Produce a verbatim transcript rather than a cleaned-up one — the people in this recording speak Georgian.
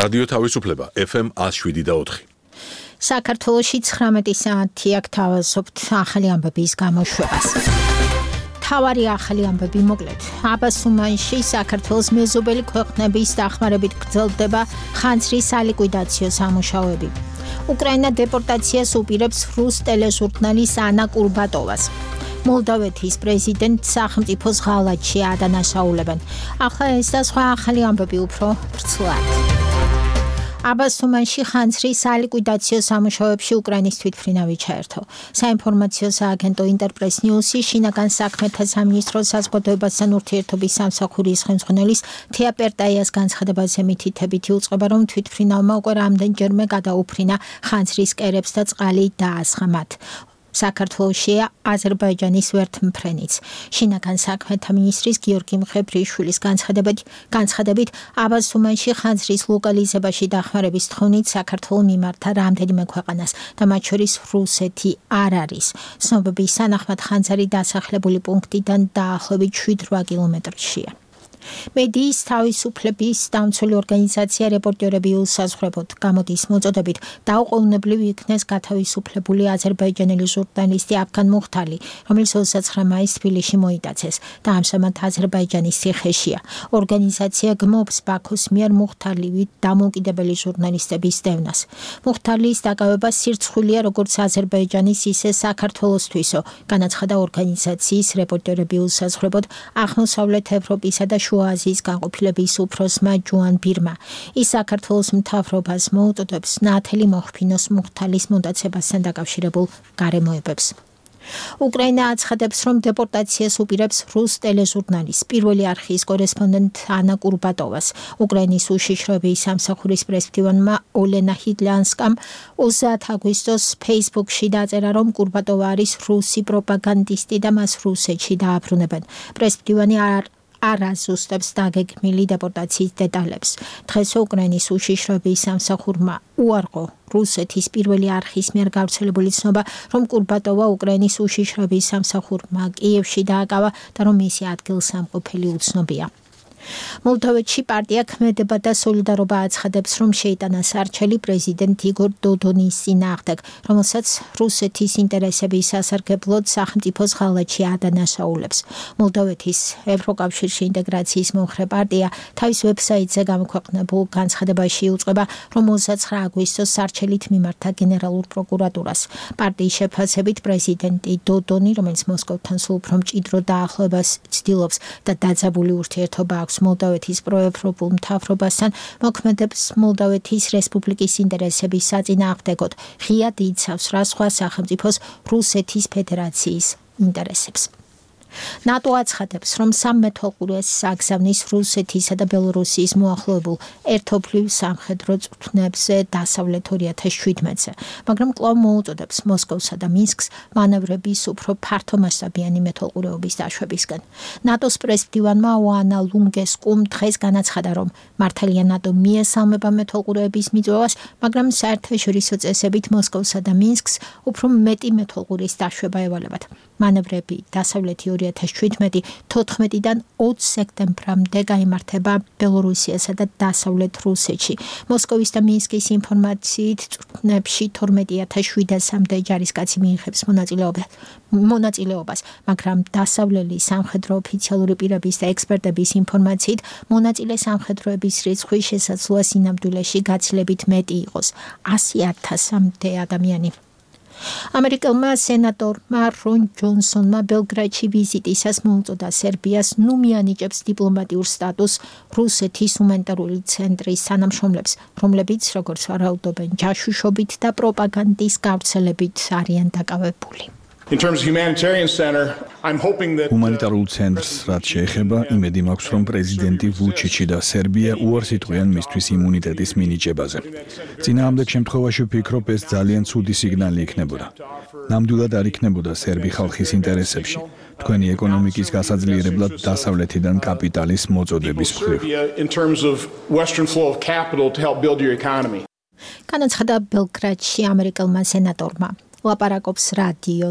რადიო თავისუფლება ეფ ემ one oh seven point four. საქართველოში ცხრამეტი საათი აქ თავაზობთ ახალი ამბების გამოშვებას. თავარი ახალი ამბები მოკლედ. აბას უმანში საქართველოს მეზობელი ქვეყნების დახმარებით გრძელდება ხანძრის სალიკვიდაციო სამუშაოები. უკრაინა დეპორტაციას უპირებს რუს ტელეჟურნალის ანა კურბატოვას. მოლდოვეთის პრეზიდენტ სახელმწიფოს ღალატში ადანაშაულებენ. ახლა ეს და სხვა ახალი ამბები უფრო ვრცლად. აბას უმანში ხანძრის სალიკვიდაციო სამუშაოებში უკრაინის თვითმფრინავი ჩაერთო. საინფორმაციო სააგენტო ინტერპრეს ნიუსი შინაგან საქმეთა სამინისტროს საზოგადოებასთან ურთიერთობის სამსახურის ხელმძღვანელის თეა პერტაიას განცხადებაზე მითითებითი უწყება, რომ თვითმფრინავმა უკვე რამდენჯერმე გადაუფრინა ხანძრის კერებს და წყალი დაასხა მათ. საქართველოშია აზერბაიჯანის ვერთმფრენიც. შინაგან საქმეთა მინისტრის გიორგი მხებრიშვილის განცხადებით, განცხადებით აბას უმანში ხანძრის ლოკალიზებაში დახმარების თხოვნით საქართველოს მიმართა რამდენიმე ქვეყანას და მათ შორის რუსეთი არ არის. ცნობების თანახმად ხანძარი დასახლებული პუნქტიდან დაახლოებით შვიდ რვა კილომეტრშია. მედიის თავისუფლების დამცველი ორგანიზაცია რეპორტერები უსაზღვრებოდ გამოდის მოწოდებით დაუყოვნებლივ იქნეს გათავისუფლებული აზერბაიჯანელი ჟურნალისტი აფგან მუხთალი, რომელიც ოცდათცხრა მაისს თბილისში მოიტაცეს და ამჟამად აზერბაიჯანის ციხეშია. ორგანიზაცია გმობს ბაქოს მიერ მუხთალივით დამოუკიდებელი ჟურნალისტების დევნას. მუხთალის დაკავება სირცხვილია როგორც აზერბაიჯანის, ისე საქართველოსთვისო, განაცხადა ორგანიზაციის რეპორტერები უსაზღვრებოდ აღმოსავლეთ ევროპისა და შუა აზიის განყოფილების უფროსმა ჯუან ბირმა. ის საქართველოს მთავრობას მოუწოდებს ნათელი მოხფინოს მუხთალის მონდაცებასთან დაკავშირებულ გარემოებებს. უკრაინა აცხადებს, რომ დეპორტაციას უპირებს რუს ტელეჟურნალის პირველი არხის კორესპონდენტ ანა კურბატოვას. უკრაინის უშიშროების სამსახურის პრესმდივანმა ოლენა ჰიდლანსკამ ოცდაათი აგვისტოს ფეისბუქში დაწერა, რომ კურბატოვა არის რუსი პროპაგანდისტი და მას რუსეთში დააბრუნებენ. პრესმდივანი არ არ აზუსტებს დაგეგმილი დეპორტაციის დეტალებს. დღეს უკრაინის უშიშროების სამსახურმა უარყო რუსეთის პირველი არხის მიერ გავრცელებული ცნობა, რომ კურბატოვა უკრაინის უშიშროების სამსახურმა კიევში დააკავა და რომ მისი ადგილსამყოფელი უცნობია. მოლდოვეთში პარტია ქმედება და სოლიდარობა აცხადებს, რომ შეიტანა სარჩელი პრეზიდენტ იგორ დოდონის წინააღმდეგ, რომელსაც რუსეთის ინტერესების სასარგებლოდ სახელმწიფოს ღალატში ადანაშაულებს. მოლდოვეთის ევროკავშირში ინტეგრაციის მომხრე პარტია თავის ვებსაიტზე გამოქვეყნებულ განცხადებაში უწყება, რომ ოცდათცხრა აგვისტოს სარჩელით მიმართა გენერალურ პროკურატურას. პარტიის შეფასებით პრეზიდენტი დოდონი, რომელიც მოსკოვთან სულ უფრო მჭიდრო დაახლოებას ცდილობს და დაძაბული ურთიერთობა აქვს მოლდოვეთის პროევროპულ მთავრობასთან, მოქმედებს მოლდოვეთის რესპუბლიკის ინტერესების საწინააღმდეგოდ, ღიად იცავს რა სხვა სახელმწიფოს რუსეთის ფედერაციის ინტერესებს. ნატო აცხადებს, რომ სამმეთვალყურეს აგზავნის რუსეთისა და ბელორუსიის მოახლოებულ ერთობლივ სამხედრო წვრთნებზე დასავლეთ ორი ათას შვიდმეტზე, მაგრამ კვლავ მოუწოდებს მოსკოვსა და მინსკს მანევრების უფრო ფართომასშტაბიანი მეთვალყურეობის დაშვებისგან. ნატოს პრესმდივანმა ოანა ლუნგესკუმ დღეს განაცხადა, რომ მართალია ნატო მიესალმება მეთვალყურეების მიწვევას, მაგრამ საერთაშორისო წესებით მოსკოვსა და მინსკს უფრო მეტი მეთვალყურის დაშვება ევალებათ. მანევრები დასავლეთი ორი ათას შვიდმეტი თოთხმეტიდან ოცი სექტემბრამდე გაიმართება ბელორუსიასა და დასავლეთ რუსეთში. მოსკოვის და მინსკის ინფორმაციით წვრთნებში თორმეტი ათას შვიდასამდე ჯარისკაცი მიიღებს მონაწილეობას, მაგრამ დასავლელი სამხედრო ოფიციალური პირების და ექსპერტების ინფორმაციით მონაწილე სამხედროების რიცხვი შესაძლოა სინამდვილეში გაცილებით მეტი იყოს, ასი ათასამდე ადამიანი. ამერიკელმა სენატორმა რონ ჯონსონმა ბელგრადში ვიზიტისას მოუწოდა სერბიას ნუ მიანიჭებს დიპლომატიურ სტატუსს რუსეთის ჰუმანიტარული ცენტრის თანამშრომლებს, რომლებიც, როგორც ვარაუდობენ, ჯაშუშობით და პროპაგანდის გავრცელებით არიან დაკავებული. ჰუმანიტარულ ცენტრს რაც შეეხება, იმედი მაქვს, რომ პრეზიდენტი ვუჩიჩი და სერბია უარს იტყვიან მისთვის იმუნიტეტის მინიჭებაზე. წინააღმდეგ შემთხვევაში ვფიქრობ, ეს ძალიან ცუდი სიგნალი იქნებოდა. ნამდვილად არ იქნებოდა სერბი ხალხის ინტერესებში, თქვენი ეკონომიკის გასაძლიერებლად დასავლეთიდან კაპიტალის მოწოდების მხრივ. განაცხადა ბელგრადში ამერიკელმა სენატორმა. ლაპარაკობს რადიო